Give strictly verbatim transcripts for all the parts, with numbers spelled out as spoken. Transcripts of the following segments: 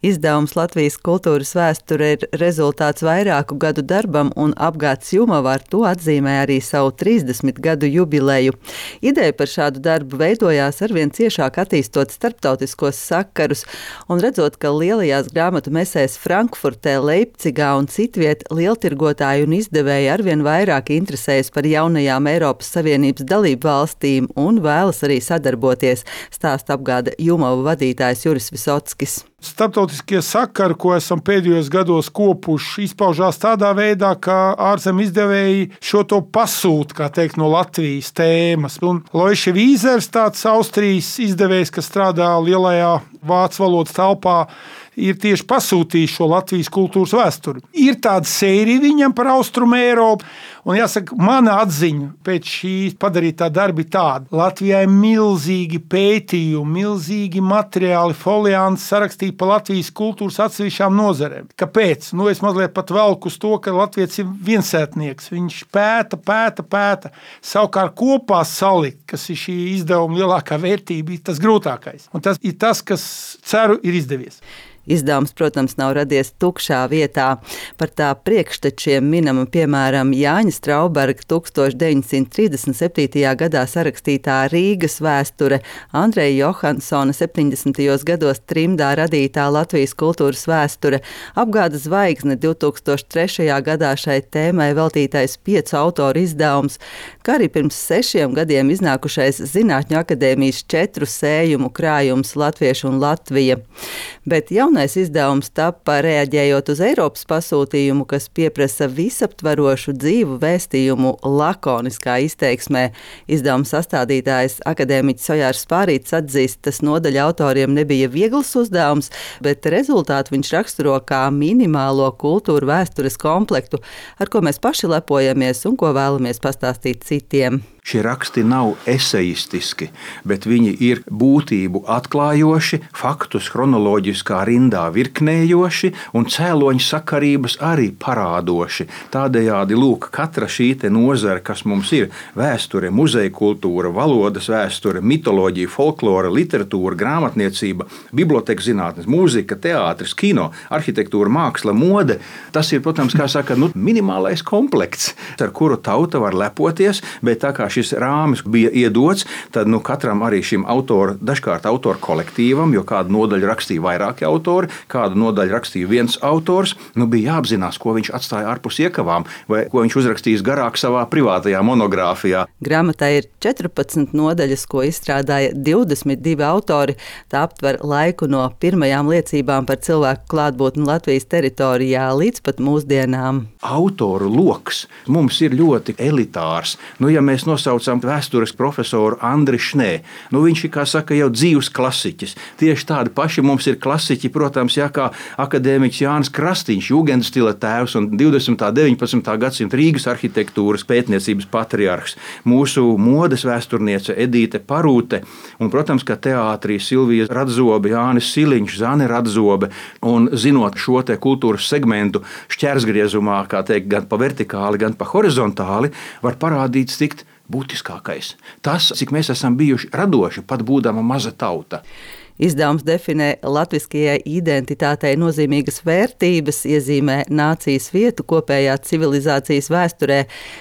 Izdevums Latvijas kultūras vēsture ir rezultāts vairāku gadu darbam, un apgāds Jumava ar to atzīmē arī savu trīsdesmit gadu jubileju. Ideja par šādu darbu veidojās arvien ciešāk attīstot starptautiskos sakarus, un redzot, ka lielajās grāmatu mesēs Frankfurtē, Leipcigā un citviet lieltirgotāji un izdevēji arvien vairāk interesējas par jaunajām Eiropas Savienības dalību valstīm un vēlas arī sadarboties, stāsta apgāda Jumava vadītājs Juris Visockis. Starptautiskie sakari, ko esam pēdējos gados kopuši, izpaužās tādā veidā, ka ārzem izdevēji šo to pasūta, kā teikt, no Latvijas tēmas. Un Loiše Vīzers, tāds Austrijas izdevējs, kas strādā lielajā vācu valodas telpā, ir tieši pasūtījis šo Latvijas kultūras vēsturi. Ir tāda sērija viņam par Austrumu Eiropu, un jāsaka, mana atziņa pēc šī padarītā darba ir tāda. Latvijā ir milzīgi pētījumi, milzīgi materiāli, folianti sarakstīti par Latvijas kultūras atsevišķām nozarēm. Kāpēc? Nu, es mazliet pat velku uz to, ka Latvijas ir viensētnieks. Viņš pēta, pēta, pēta. Savukārt kopā salikt, kas ir šī izdevuma lielākā vērtība, ir tas grūtākais. Un tas ir tas, kas, ceru, ir izdevies. Izdevums, protams, nav radies tukšā vietā. Par tā priekštečiem minama, piemēram, Jāņa Strauberga tūkstoš deviņsimt trīsdesmit septītajā gadā sarakstītā Rīgas vēsture, Andreja Johansona septiņdesmitajos gados trimdā radītā Latvijas kultūras vēsture, apgāda Zvaigzne divtūkstoš trešajā gadā šai tēmai veltītais piecu autoru izdevums, kā arī pirms sešiem gadiem iznākušais Zinātņu akadēmijas četru sējumu krājums Latviešu un Latvija. Bet jaunais izdevums tapa reaģējot uz Eiropas pasūtījumu, kas pieprasa visaptvarošu dzīvu vēstījumu lakoniskā izteiksmē. Izdevuma sastādītājs akadēmiķis Ojārs Spārītis atzīst, tas nodaļa autoriem nebija viegls uzdevums, bet rezultātu viņš raksturo kā minimālo kultūru vēstures komplektu, ar ko mēs paši lepojamies un ko vēlamies pastāstīt citiem. Šie raksti nav esejistiski, bet viņi ir būtību atklājoši, faktus chronoloģiskā rindā virknējoši un cēloņu sakarības arī parādoši. Tādējādi, lūk, katra šī te nozara, kas mums ir vēsture, muzeja kultūra, valodas vēsture, mitoloģija, folklora, literatūra, grāmatniecība, biblioteka zinātnes, mūzika, teātris, kino, arhitektūra, māksla, mode, tas ir, protams, kā saka, nu, minimālais komplekts, ar kuru tauta var lepoties, bet tā kā šis rāmis bija iedots, tad nu, katram arī šim autoru, dažkārt autoru kolektīvam, jo kādu nodaļu rakstīja vairāki autori, kādu nodaļu rakstīja viens autors, nu, bija jāapzinās, ko viņš atstāja ārpus iekavām, vai ko viņš uzrakstījis garāk savā privātajā monogrāfijā. Grāmatā ir četrpadsmit nodaļas, ko izstrādāja divdesmit divi autori. Tā aptver laiku no pirmajām liecībām par cilvēku klātbūtni Latvijas teritorijā līdz pat mūsdienām. Autoru loks mums ir ļoti elitārs. Nu, ja mēs nosaucam vēstures profesoru Andri Šnē, nu, viņš ir, kā saka, jau dzīves klasiķis. Tieši tādi paši mums ir klasiķi, protams, jā, kā akadēmiķis Jānis Krastīņš, jūgendstila tēvs un divdesmitā un deviņpadsmitā gadsimta Rīgas arhitektūras pētniecības patriarhs, mūsu modes vēsturniece Edīte Parūte un, protams, ka teātrī Silvija Radzobe, Jānis Siliņš, Zane Radzobe, un zinot šo te kultūras segmentu šķērsgriezumā, kā teikt, gan pa vertikāli, gan pa horizontāli, var parādīt tikt būtiskākais. Tas, cik mēs esam bijuši radoši, pat būdama maza tauta. Izdevums definē latviskajai identitātei nozīmīgas vērtības, iezīmē nācijas vietu kopējā civilizācijas vēsturē,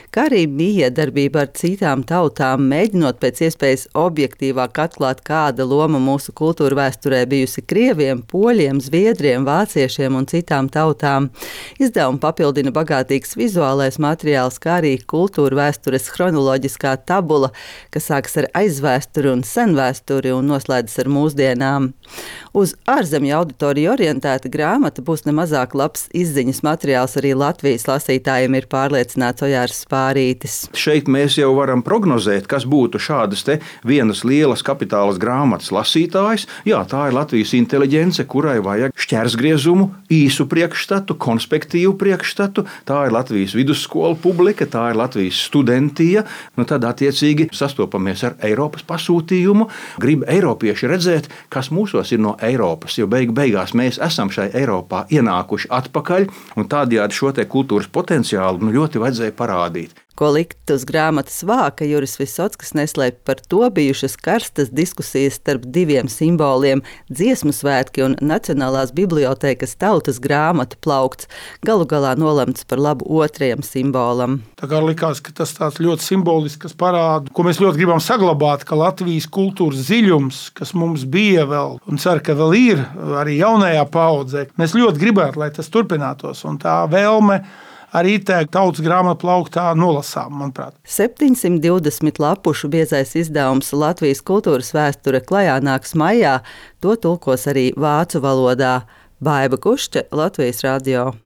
kā arī mijiedarbība ar citām tautām, mēģinot pēc iespējas objektīvāk atklāt, kāda loma mūsu kultūra vēsturē bijusi krieviem, poļiem, zviedriem, vāciešiem un citām tautām. Izdevumu papildina bagātīgs vizuālais materiāls, kā arī kultūra vēstures chronoloģiskā tabula, kas sākas ar aizvēsturi un senvēsturi un noslēdzas ar mūsdienām. Uz ārzemju auditoriju orientēta grāmata būs nemazāk labs izziņas materiāls arī Latvijas lasītājiem, ir pārliecināts Ojārs Spārītis. Šeit mēs jau varam prognozēt, kas būtu šādas te vienas lielas kapitālas grāmatas lasītājs. Jā, tā ir Latvijas inteliģence, kurai vajag šķērsgriezumu, īsu priekšstatu, konspektīvu priekšstatu. Tā ir Latvijas vidusskola publika, tā ir Latvijas studentija. Nu, tad attiecīgi sastopamies ar Eiropas pasūtījumu. Grib eiropieši redzēt, kas mūsos ir no Eiropas, jo beig beigās mēs esam šai Eiropā ienākuši atpakaļ, un tādējādi šo te kultūras potenciālu nu, ļoti vajadzēja parādīt. Ko likt uz grāmatas vāka, Juris Visockis neslēpj par to bijušas karstas diskusijas starp diviem simboliem – Dziesmu svētki un Nacionālās bibliotēkas tautas grāmatu plaukts, galu galā nolemts par labu otrajam simbolam. Tā kā likās, ka tas tāds ļoti simbolisks, kas parāda, ko mēs ļoti gribam saglabāt, ka Latvijas kultūras dziļums, kas mums bija vēl, un ceru, ka vēl ir arī jaunajā paudzē, mēs ļoti gribētu, lai tas turpinātos, un tā vēlme arī te tautas grāmatu plauktā nolasām, manuprāt. septiņsimt divdesmit lapušu biezais izdevums Latvijas kultūras vēsture klajā nāks maijā, to tulkos arī vācu valodā. Baiba Kušķe, Latvijas radio.